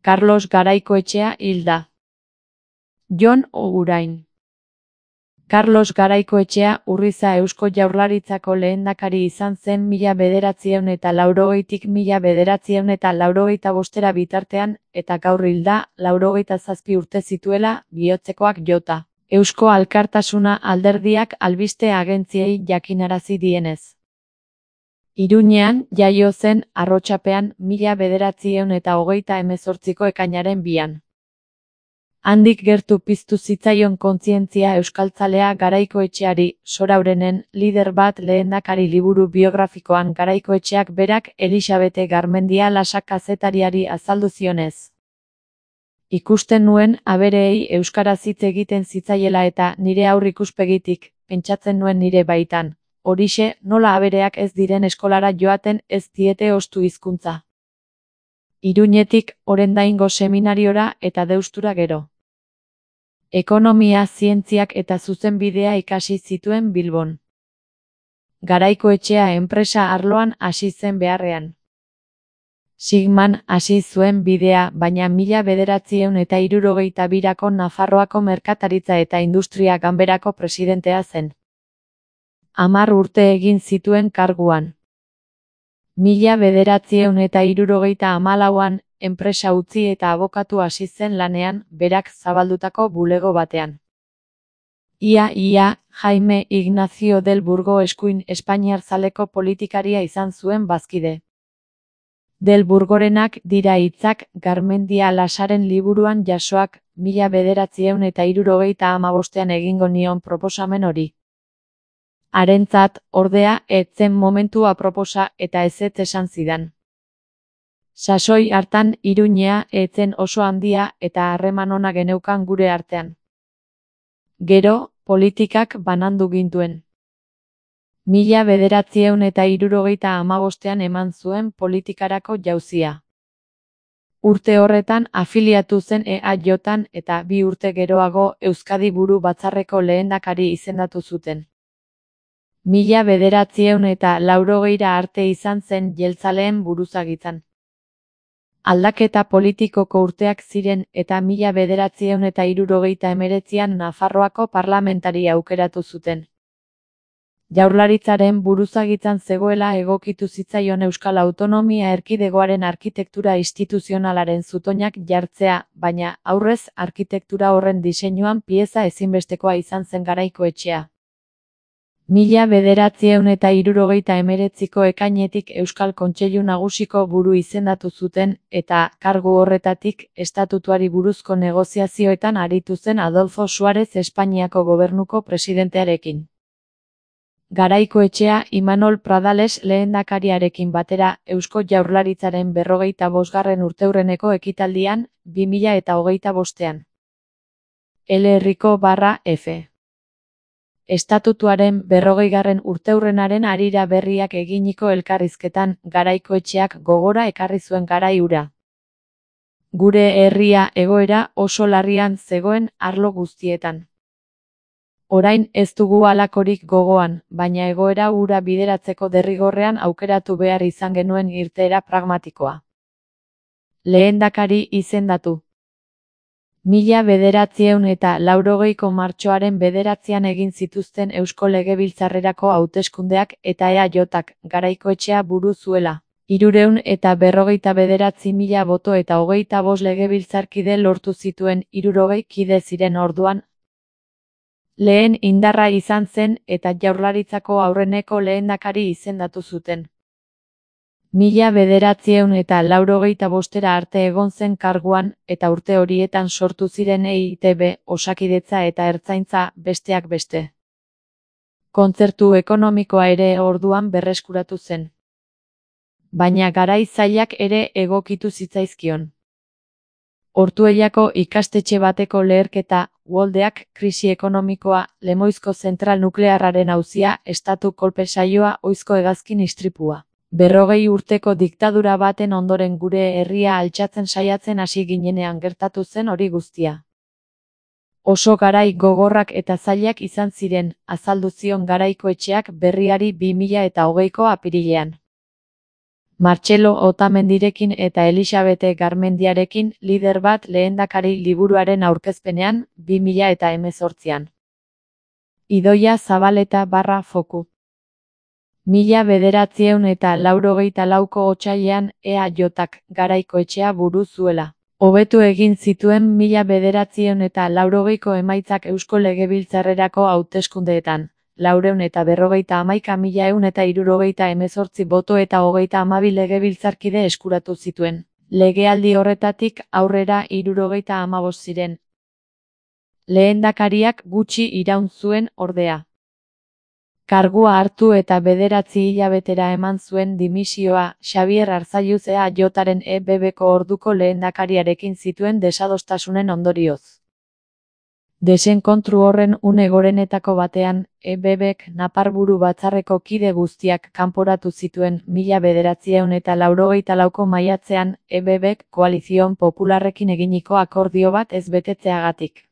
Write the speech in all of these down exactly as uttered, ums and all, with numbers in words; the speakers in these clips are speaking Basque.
Carlos Garaikoetxea hil da. Jon Ogurain. Carlos Garaikoetxea Urriza Eusko Jaurlaritzako lehendakari izan zen mila bederatziehun eta laurogeitik mila bederatziehun eta laurogeita bostera bitartean, eta gaur hil da, laurogeita zazpi urte zituela, bihotzekoak jota. Eusko Alkartasuna alderdiak albiste agentziei jakinarazi dienez. Iruñean jaio zen, Arrotxapean, mila bederatziehun eta hogeita hemezortziko ekainaren bian. Handik gertu piztu zitzaion kontzientzia euskaltzalea Garaikoetxeari, Soraurenen, lider bat lehendakari liburu biografikoan Garaikoetxeak berak Elisabete Garmendia Lasak kazetariari azaldu zionez. Ikusten nuen abereei euskaraz hitz egiten zitzaiela eta nire aurrikuspegitik, pentsatzen nuen nire baitan, horixe nola abereak ez diren eskolara joaten ez diete ostu hizkuntza. Iruñetik, Orendaingo seminariora eta Deustura gero. Ekonomia, zientziak eta zuzenbidea ikasi zituen Bilbon. Garaikoetxea enpresa arloan hasi zen beharrean. Sigman hasi zuen bidea, baina mila bederatziehun eta hirurogeita birako Nafarroako Merkataritza eta Industria Ganberako presidentea zen. Hamar urte egin zituen karguan. Mila bederatziehun eta hirurogeita hamalauan, enpresa utzi eta abokatu hasi zen lanean, berak zabaldutako bulego batean. Ia ia, Jaime Ignacio del Burgo eskuin Espainiar zaleko politikaria izan zuen bazkide. Del Burgorenak dira hitzak Garmendia Lasaren liburuan jasoak, mila bederatziehun eta hirurogeita hamabostean egingo nion proposamen hori. Harentzat, ordea, ez zen momentu aproposa eta ezetz esan zidan. Sasoi hartan Iruñea ez zen oso handia eta harreman ona geneukan gure artean. Gero, politikak banandu gintuen. Mila bederatziehun eta hirurogeita hamabostean eman zuen politikarako jauzia. Urte horretan afiliatu zen E A J-an eta bi urte geroago Euskadi Buru Batzarreko lehendakari izendatu zuten. Mila bederatziehun eta laurogeira arte izan zen jeltzaleen buruzagitzan. Aldaketa politikoko urteak ziren eta mila bederatziehun eta hirurogeita hemeretzian Nafarroako parlamentari aukeratu zuten. Jaurlaritzaren buruzagitzan zegoela egokitu zitzaion Euskal Autonomia Erkidegoaren arkitektura instituzionalaren zutoinak jartzea, baina aurrez arkitektura horren diseinuan pieza ezinbestekoa izan zen Garaikoetxea. Mila bederatziehun eta hirurogeita hemeretziko ekainetik Euskal Kontseilu Nagusiko buru izendatu zuten eta kargu horretatik estatutuari buruzko negoziazioetan aritu zen Adolfo Suárez Espainiako gobernuko presidentearekin. Garaikoetxea Imanol Pradales lehendakariarekin batera Eusko Jaurlaritzaren berrogeita bosgarren urteurreneko ekitaldian, bi mila eta hogeita bostean. Eleherriko barra F. Estatutuaren berrogeigarren urteurrenaren harira berriak eginiko elkarrizketan, Garaikoetxeak gogora ekarri zuen garai hura. Gure herria egoera oso larrian zegoen arlo guztietan. Orain ez dugu halakorik gogoan, baina egoera hura bideratzeko derrigorrean aukeratu behar izan genuen irteera pragmatikoa. Lehendakari izendatu. Mila bederatziehun eta laurogeiko martxoaren bederatzian egin zituzten Eusko Legebiltzarrerako hauteskundeak eta E A J-ak Garaikoetxea buru zuela. Hirurehun eta berrogeita bederatzi mila boto eta hogeita bost legebiltzarkide lortu zituen, hirurogei kide ziren orduan. Lehen indarra izan zen eta Jaurlaritzako aurreneko lehendakari izendatu zuten. Mila bederatziehun eta laurogeita bostera arte egon zen karguan, eta urte horietan sortu ziren E I T B, Osakidetza eta Ertzaintza, besteak beste. Kontzertu ekonomikoa ere orduan berreskuratu zen. Baina garai zailak ere egokitu zitzaizkion. Ortuellako ikastetxe bateko leherketa, Uholdeak, krisi ekonomikoa, Lemoizko zentral nuklearraren auzia, estatu kolpe saioa, Oizko hegazkin istripua. Berrogei urteko diktadura baten ondoren gure herria altxatzen saiatzen hasi ginenean gertatu zen hori guztia. Oso garai gogorrak eta zailak izan ziren, azaldu zion Garaikoetxeak berriari bi mila eta hogeiko apirilean. Martxelo Otamendirekin eta Elisabete Garmendiarekin lider bat lehendakari liburuaren aurkezpenean, bi mila eta hemezortzian. Idoia Zabaleta barra foku. Mila bederatziehun eta laurogeita lauko otsailean E A Jk Garaikoetxea buru zuela. Hobetu egin zituen mila bederatziehun eta laurogeiko emaitzak Eusko Legebiltzarrerako hauteskundeetan. Laurehun eta berrogeita hamaika mila ehun eta hirurogeita hemezortzi boto eta hogeita hamabi legebiltzarkide eskuratu zituen. Legealdi horretatik aurrera hirurogeita hamabost ziren. Lehendakariak gutxi iraun zuen ordea. Kargua hartu eta bederatzi hilabetera eman zuen dimisioa, Xabier Arzalluz E A Jren E B Bko orduko lehendakariarekin zituen desadostasunen ondorioz. Desenkontru horren une gorenetako batean, E B Bk Naparburu batzarreko kide guztiak kanporatu zituen mila bederatziehun eta laurogeita lauko maiatzean, E B Bk Koalizio Popularrekin eginiko akordio bat ez betetzeagatik.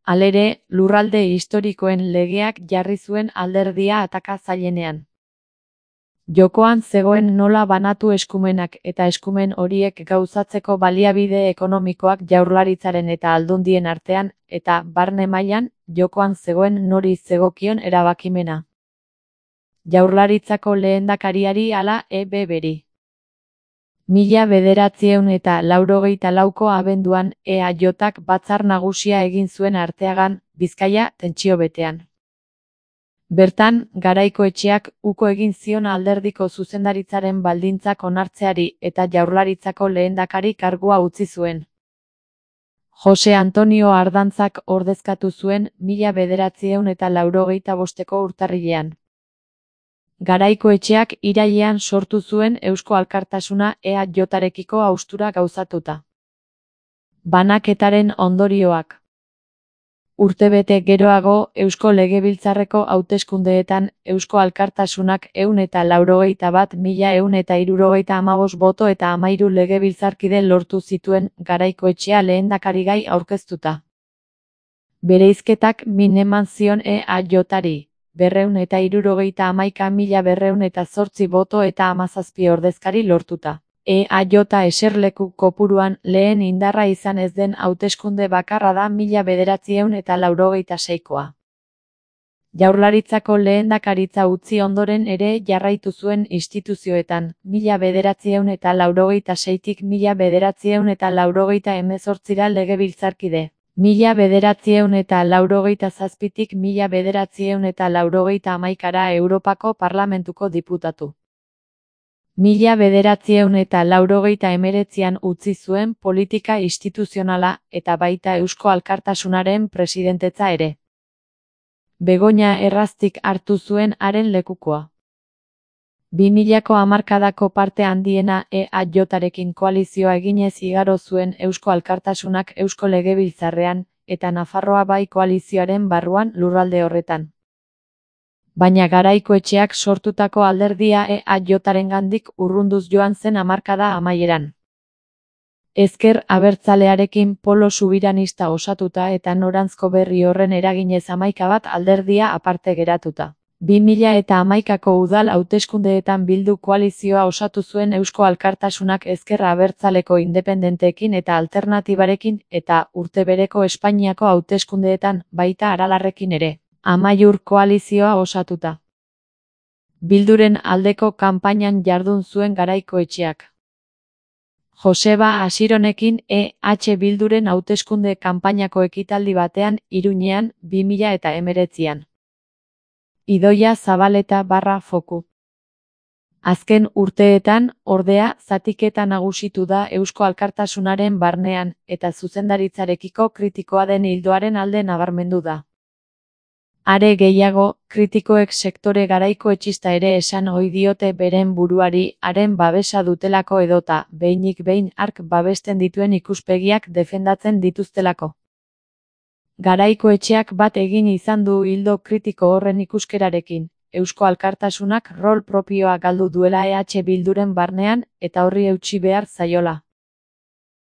Halere, lurralde historikoen legeak jarri zuen alderdia ataka zailenean. Jokoan zegoen nola banatu eskumenak eta eskumen horiek gauzatzeko baliabide ekonomikoak Jaurlaritzaren eta Aldundien artean, eta, barne mailan, jokoan zegoen nori zegokion erabakimena. Jaurlaritzako lehendakariari ala E B Bri. Mila bederatziehun eta laurogeita lauko abenduan E A Jk batzar nagusia egin zuen Arteagan, Bizkaia, tentsio betean. Bertan, Garaikoetxeak uko egin zion alderdiko zuzendaritzaren baldintzak onartzeari eta Jaurlaritzako lehendakari kargua utzi zuen. Jose Antonio Ardantzak ordezkatu zuen mila bederatziehun eta laurogeita bosteko urtarrilean. Garaikoetxeak irailean sortu zuen Eusko Alkartasuna E A Jrekiko haustura gauzatuta. Banaketaren ondorioak. Urtebete geroago, Eusko Legebiltzarreko hauteskundeetan, Eusko Alkartasunak ehun eta laurogeita bat mila ehun eta hirurogeita hamabost boto eta hamahiru legebiltzarkide lortu zituen Garaikoetxea lehendakarigai aurkeztuta. Bereizketak min eman zion E A Jri. berrehun eta hirurogeita hamaika mila berrehun eta zortzi boto eta hamazazpi ordezkari lortuta. E A J eserleku kopuruan lehen indarra izan ez den hauteskunde bakarra da mila bederatziehun eta laurogeita seikoa. Jaurlaritzako lehendakaritza utzi ondoren ere jarraitu zuen instituzioetan, mila bederatziehun eta laurogeita seitik mila bederatziehun eta laurogeita hemezortzira legebiltzarkide. Mila bederatziehun eta laurogeita zazpitik mila bederatziehun eta laurogeita hamaikara Europako Parlamentuko diputatu. Mila bederatziehun eta laurogeita hemeretzian utzi zuen politika instituzionala eta baita Eusko Alkartasunaren presidentetza ere. Begoña Erraztik hartu zuen haren lekukoa. bi milako hamarkadako parte handiena E A Jrekin koalizioa eginez igaro zuen Eusko Alkartasunak Eusko Legebiltzarrean, eta Nafarroa Bai koalizioaren barruan lurralde horretan. Baina Garaikoetxeak sortutako alderdia E A Jrengandik urrunduz joan zen hamarkada amaieran. Ezker Abertzalearekin polo subiranista osatuta eta noranzko berri horren eraginez hamaika bat alderdia aparte geratuta. bi mila eta hamaikako udal hauteskundeetan Bildu koalizioa osatu zuen Eusko Alkartasunak Ezker Abertzaleko independenteekin eta alternatibarekin eta urte bereko Espainiako hauteskundeetan baita Aralarrekin ere. Amaiur koalizioa osatuta. Bilduren aldeko kanpainan jardun zuen Garaikoetxeak. Joseba Asironekin E H Bilduren hauteskunde kanpainako ekitaldi batean Iruñean bi mila eta hemeretzian. Idoia Zabaleta barra foku. Azken urteetan, ordea, zatiketa nagusitu da Eusko Alkartasunaren barnean, eta zuzendaritzarekiko kritikoa den ildoaren alde nabarmendu da. Are gehiago, kritikoek sektore garaikoetxista ere esan ohi diote beren buruari haren babesa dutelako edota, behinik behin hark babesten dituen ikuspegiak defendatzen dituztelako. Garaikoetxeak bat egin izan du ildo kritiko horren ikuskerarekin, Eusko Alkartasunak rol propioa galdu duela E H Bilduren barnean eta horri eutsi behar zaiola.